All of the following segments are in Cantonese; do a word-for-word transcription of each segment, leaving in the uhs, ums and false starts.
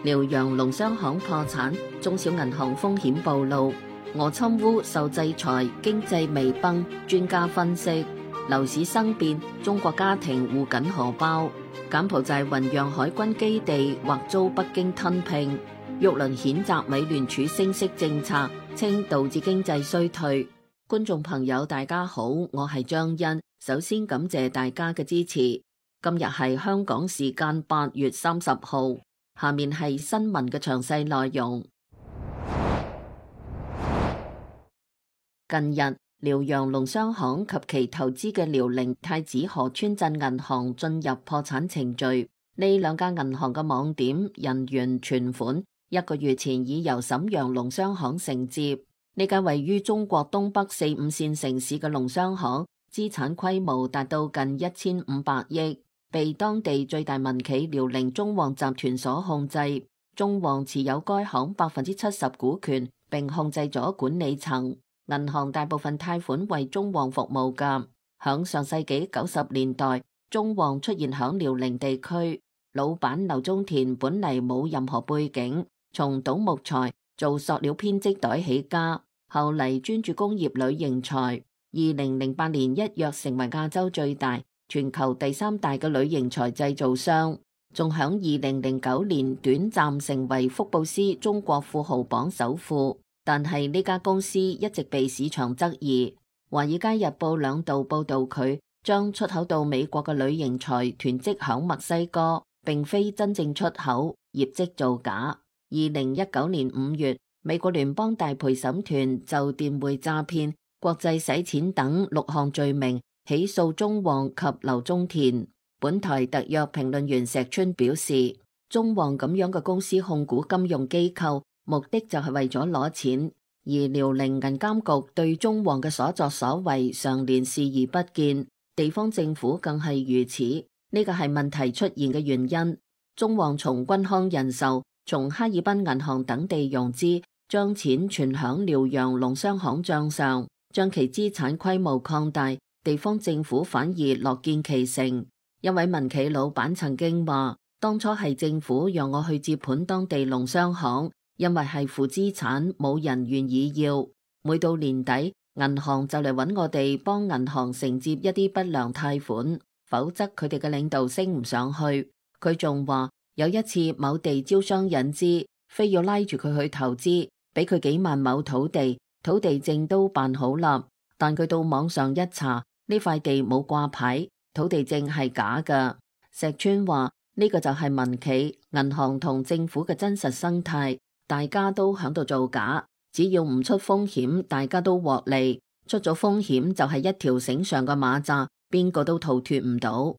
遼陽農商行破產，中小銀行風險暴露。俄侵烏受制裁，經濟微崩。專家分析，樓市生變，中國家庭護緊荷包。柬埔寨雲壤海軍基地或遭北京吞併。玉麟譴責美聯儲升息政策，稱導致經濟衰退。觀眾朋友大家好，我係張欣，首先感謝大家嘅支持。今日係香港時間八月三十號，下面係新聞嘅詳細內容。近日，遼陽農商行及其投資嘅遼寧太子河村鎮銀行進入破產程序。呢兩家銀行嘅網點、人員、存款，一個月前已由瀋陽農商行承接。呢間位於中國東北四五線城市嘅農商行，資產規模達到近一千五百億，被當地最大民企遼寧中旺集團所控制。中旺持有該行百分之七十股權，並控制咗管理層。銀行大部分貸款為中旺服務㗎。響上世紀九十年代，中旺出現響遼寧地區。老闆劉宗田本嚟冇任何背景，從倒木材、做塑料編織袋起家，後嚟專注工業鋁型材。二零零八年一躍成為亞洲最大、全球第三大嘅鋁型材製造商，仲響二零零九年短暫成為福布斯中國富豪榜首富。但係呢家公司一直被市場質疑。華爾街日報兩度報道佢將出口到美國嘅鋁型材囤積響墨西哥，並非真正出口，業績造假。二零一九年五月，美國聯邦大陪審團就電匯詐騙、國際洗錢等六項罪名起訴中旺及劉宗田。本台特約評論員石春表示，中旺咁樣嘅公司控股金融機構，目的就係為咗攞錢，而遼寧銀監局對中旺嘅所作所為常年視而不見，地方政府更係如此。呢個係問題出現嘅原因。中旺從軍康人壽、從哈爾濱銀行等地融資，將錢存響遼陽農商行賬上，將其資產規模擴大，地方政府反而樂見其成。一位民企老闆曾經話，當初係政府讓我去接盤當地農商行，因為係負資產，冇人願意要。每到年底，銀行就嚟揾我哋幫銀行承接一啲不良貸款，否則佢哋嘅領導升唔上去。佢仲話有一次某地招商引資，非要拉住佢去投資，俾佢幾萬畝土地，土地證都辦好啦，但佢到網上一查，呢塊地冇掛牌，土地證係假㗎。石川話呢個就係民企、銀行同政府嘅真實生態。大家都響度造假，只要唔出風險，大家都獲利。出咗風險就係一條繩上嘅馬扎，邊個都逃脫唔到。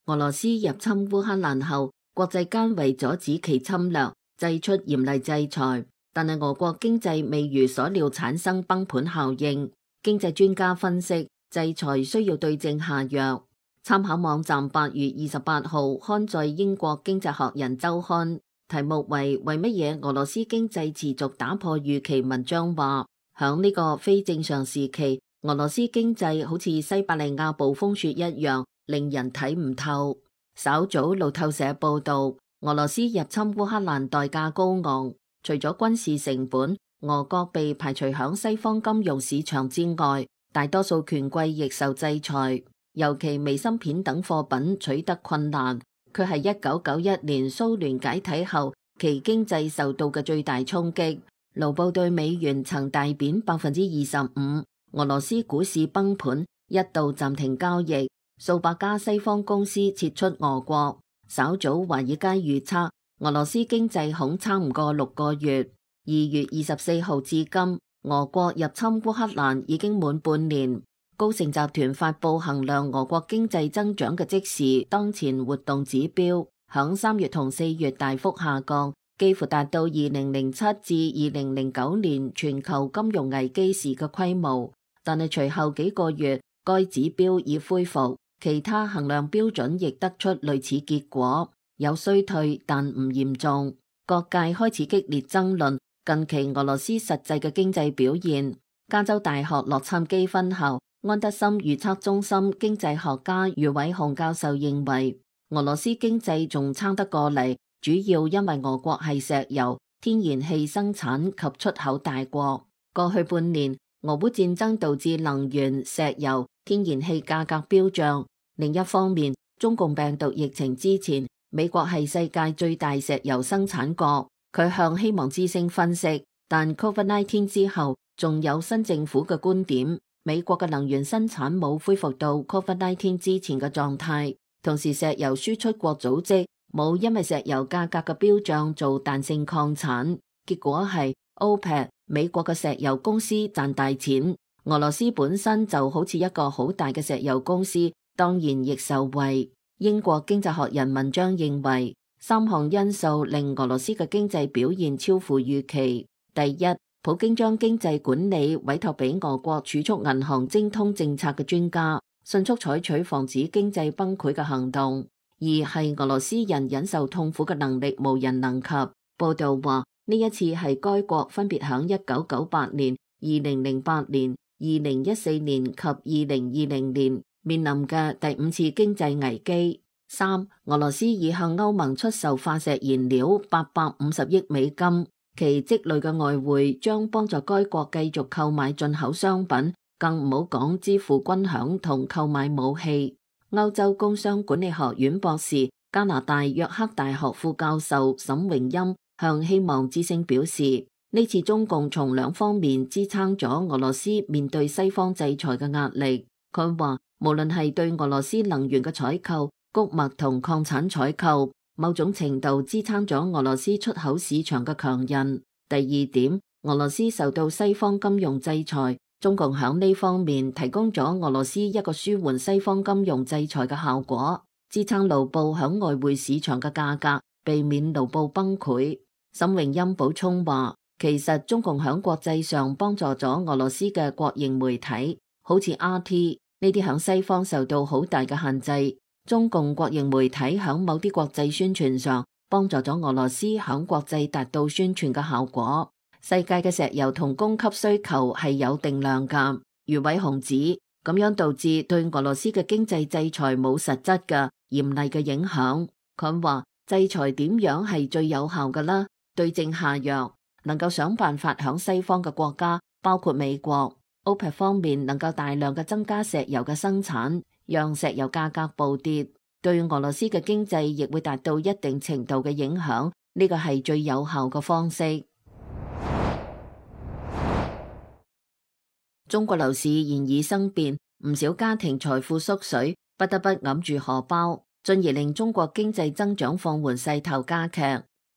俄羅斯入侵烏克蘭後，國際間為阻止其侵略，祭出嚴厲制裁，但係俄國經濟未如所料產生崩盤效應。經濟專家分析，制裁需要對症下藥。參考網站八月二十八號刊載英國經濟學人週刊，題目為為乜嘢俄羅斯經濟持續打破預期。文章話，響呢個非正常時期，俄羅斯經濟好似西伯利亞暴風雪一樣，令人睇唔透。稍早路透社報道，俄羅斯入侵烏克蘭代價高昂，除咗軍事成本，俄國被排除響西方金融市場之外，大多數權貴亦受制裁。尤其微芯片等貨品取得困難，佢係一九九一年蘇聯解體後其經濟受到嘅最大衝擊。盧布對美元曾大貶百分之二十五，俄羅斯股市崩盤，一度暫停交易，數百家西方公司撤出俄國。稍早華爾街預測，俄羅斯經濟恐撐唔過六個月。二月二十四號至今，俄國入侵烏克蘭已經滿半年。高盛集團發佈衡量俄國經濟增長嘅即時當前活動指標，響三月同四月大幅下降，幾乎達到二零零七至二零零九年全球金融危機時嘅規模。但係隨後幾個月，該指標已恢復，其他衡量標準亦得出類似結果，有衰退但唔嚴重。各界開始激烈爭論近期俄羅斯實際嘅經濟表現。加州大學洛杉磯分校安德森預測中心經濟學家余偉雄教授認為，俄羅斯經濟仲撐得過嚟，主要因為俄國係石油、天然氣生產及出口大國。過去半年，俄烏戰爭導致能源、石油、天然氣價格飆漲。另一方面，中共病毒疫情之前，美國係世界最大石油生產國。佢向希望之聲分析，但 Covid 十九 之後，仲有新政府嘅觀點，美國嘅能源生產冇恢復到 Covid 十九 之前嘅狀態。同時，石油輸出國組織冇因為石油價格嘅飆漲做彈性擴產，結果係 OPEC 美國嘅石油公司賺大錢，俄羅斯本身就好似一個好大嘅石油公司，當然亦受惠。英國經濟學人文章認為，三項因素令俄羅斯嘅經濟表現超乎預期。第一，普京將經濟管理委託俾俄國儲蓄銀行精通政策嘅專家，迅速採取防止經濟崩潰嘅行動。二係俄羅斯人忍受痛苦嘅能力無人能及。報道話，呢一次係該國分別響一九九八年、二零零八年、二零一四年及二零二零年面臨嘅第五次經濟危機。三，俄羅斯已向歐盟出售化石燃料八百五十億美金，其積累嘅外匯將幫助該國繼續購買進口商品，更唔好講支付軍餉同購買武器。歐洲工商管理學院博士、加拿大約克大學副教授沈榮欽向希望之聲表示，呢次中共從兩方面支撐咗俄羅斯面對西方制裁嘅壓力。佢話，無論係對俄羅斯能源嘅採購、穀物同礦產採購，某種程度支撐咗俄羅斯出口市場嘅強韌。第二點，俄羅斯受到西方金融制裁，中共響呢方面提供咗俄羅斯一個舒緩西方金融制裁嘅效果，支撐盧布響外匯市場嘅價格，避免盧布崩潰。沈榮欽補充話，其實中共響國際上幫助咗俄羅斯嘅國營媒體，好似 R T 呢啲響西方受到好大嘅限制。中共國營媒體響某啲國際宣傳上幫助咗俄羅斯響國際達到宣傳嘅效果。世界嘅石油同供給需求係有定量㗎。余偉雄指，咁樣導致對俄羅斯嘅經濟制裁冇實質嘅嚴厲嘅影響。佢話制裁點樣係最有效㗎啦？對症下藥，能夠想辦法響西方嘅國家，包括美國、OPEC 方面能夠大量嘅增加石油嘅生產，讓石油價格暴跌，對俄羅斯嘅經濟亦會達到一定程度嘅影響。呢個係最有效嘅方式。中國樓市現已生變，唔少家庭財富縮水，不得不揞住荷包，進而令中國經濟增長放緩勢頭加劇。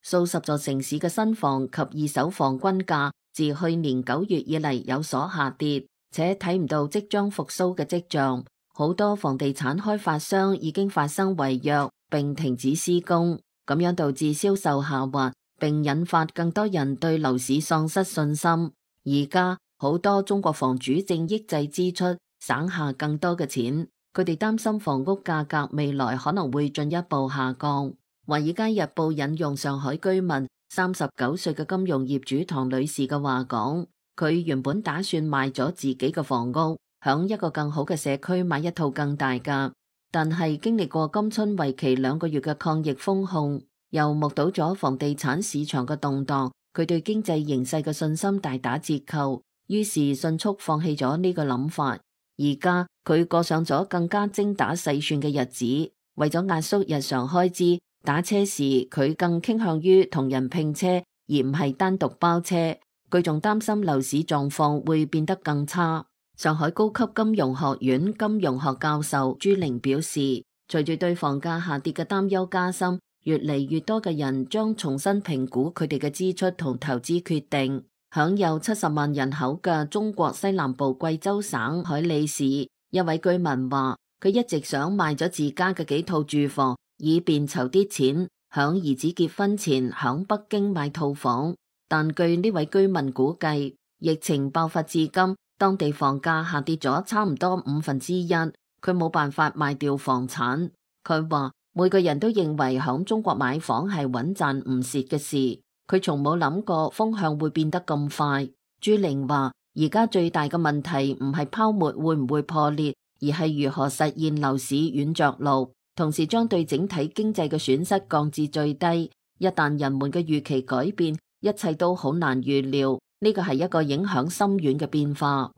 數十座城市嘅新房及二手房均價自去年九月以嚟有所下跌，且睇唔到即將復甦嘅跡象。好多房地產開發商已經發生違約並停止施工，咁樣導致銷售下滑，並引發更多人對樓市喪失信心。而家好多中國房主正抑制支出，省下更多嘅錢。佢哋擔心房屋價格未來可能會進一步下降。華爾街日報引用上海居民三十九歲嘅金融業主唐女士嘅話講，佢原本打算賣咗自己嘅房屋，響一個更好嘅社區買一套更大嘅，但係經歷過今春為期兩個月嘅抗疫封控，又目睹咗房地產市場嘅動盪，佢對經濟形勢嘅信心大打折扣，於是迅速放棄咗呢個諗法。而家佢過上咗更加精打細算嘅日子，為咗壓縮日常開支，打車時佢更傾向於同人拼車，而唔係單獨包車。佢仲擔心樓市狀況會變得更差。上海高級金融學院金融學教授朱玲表示，隨住對房價下跌嘅擔憂加深，越嚟越多嘅人將重新評估佢哋嘅支出同投資決定。享有七十萬人口嘅中國西南部貴州省海里市一位居民話，佢一直想賣咗自家嘅幾套住房，以便籌啲錢響兒子結婚前響北京買套房。但據呢位居民估計，疫情爆發至今，當地房價下跌咗差唔多五分之一，佢冇辦法賣掉房產。佢話每個人都認為響中國買房係穩賺唔蝕嘅事，佢從冇諗過風向會變得咁快。朱玲話，而家最大嘅問題唔係泡沫會唔會破裂，而係如何實現樓市軟着陸。同時將對整體經濟嘅損失降至最低。一旦人們嘅預期改變，一切都好難預料。呢個係一個影響深遠嘅變化。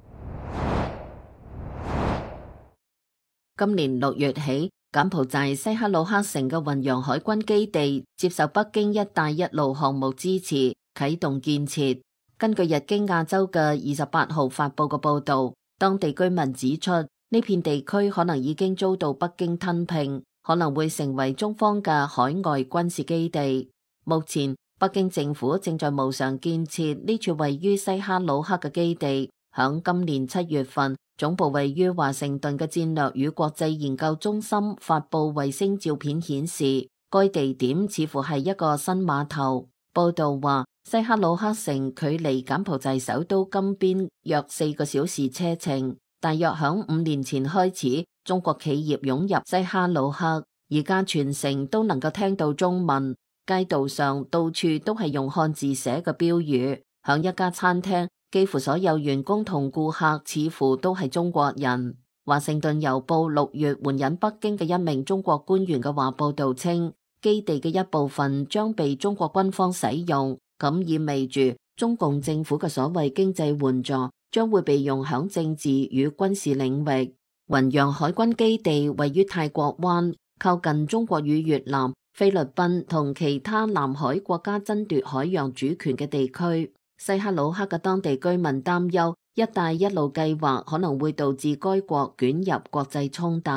今年六月起，柬埔寨西哈努克城嘅雲陽海軍基地接受北京一帶一路項目支持，啟動建設。根據日經亞洲嘅二十八號發佈嘅報道，當地居民指出，呢片地區可能已經遭到北京吞併，可能會成為中方嘅海外軍事基地。目前，北京政府正在無償建設呢處位於西哈努克嘅基地。響今年七月份，總部位於華盛頓嘅戰略與國際研究中心發佈衛星照片顯示，該地點似乎係一個新碼頭。報道話，西哈努克城距離柬埔寨首都金邊約四個小時車程。大約響五年前開始，中國企業湧入西哈努克，而家全城都能夠聽到中文。街道上到處都係用漢字寫嘅標語。響一家餐廳，幾乎所有員工同顧客似乎都係中國人。華盛頓郵報六月援引北京嘅一名中國官員嘅話報道稱，基地嘅一部分將被中國軍方使用，咁意味住中共政府嘅所謂經濟援助將會被用響政治與軍事領域。雲陽海軍基地位於泰國灣，靠近中國與越南、菲律賓同其他南海國家爭奪海洋主權嘅地區。西哈努克嘅當地居民擔憂，一帶一路計劃可能會導致該國捲入國際衝突。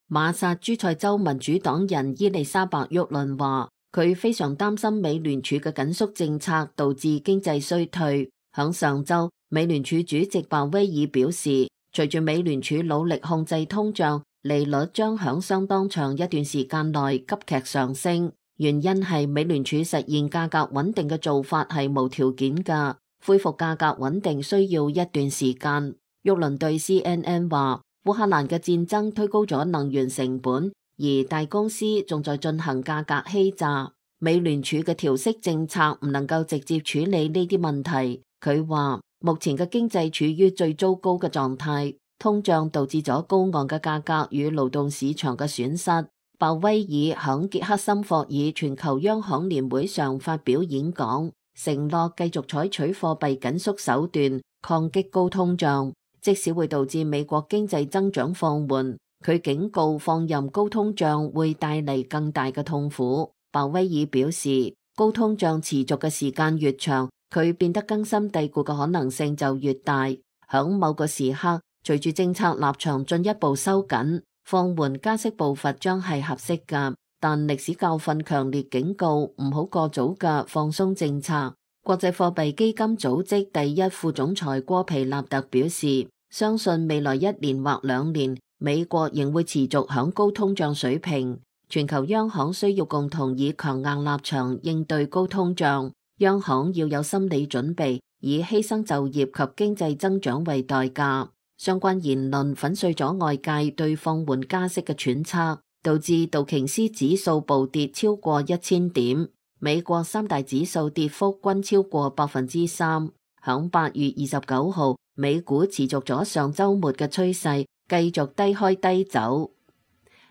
馬薩諸塞州民主黨人伊麗莎白沃倫話，佢非常擔心美聯儲嘅緊縮政策導致經濟衰退。響上周，美聯儲主席鮑威爾表示，隨住美聯儲努力控制通脹，利率將響相當長一段時間內急劇上升。原因係美聯儲實現價格穩定嘅做法係無條件㗎，恢復價格穩定需要一段時間。沃倫對 C N N 話，烏克蘭嘅戰爭推高咗能源成本，而大公司仲在進行價格欺詐。美聯儲嘅調息政策唔能夠直接處理呢啲問題。佢話，目前嘅經濟處於最糟糕嘅狀態，通脹導致咗高昂嘅價格與勞動市場嘅損失。鮑威爾響傑克森霍爾全球央行年會上發表演講，承諾繼續採取貨幣緊縮手段抗擊高通脹，即使會導致美國經濟增長放緩。佢警告放任高通脹會帶嚟更大嘅痛苦。鮑威爾表示，高通脹持續嘅時間越長，佢變得根深蒂固嘅可能性就越大。響某個時刻，隨住政策立場進一步收緊，放緩加息步伐將係合適㗎，但歷史教訓強烈警告唔好過早嘅放鬆政策。國際貨幣基金組織第一副總裁戈皮納特表示，相信未來一年或兩年，美國仍會持續響高通脹水平。全球央行需要共同以強硬立場應對高通脹，央行要有心理準備，以犧牲就業及經濟增長為代價。相關言論粉碎咗外界對放緩加息嘅揣測，導致道瓊斯指數暴跌超過一千點，美國三大指數跌幅均超過百分之三。響八月二十九號，美股持續咗上週末嘅趨勢，繼續低開低走。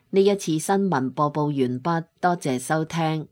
呢一次新聞播報完畢，多謝收聽。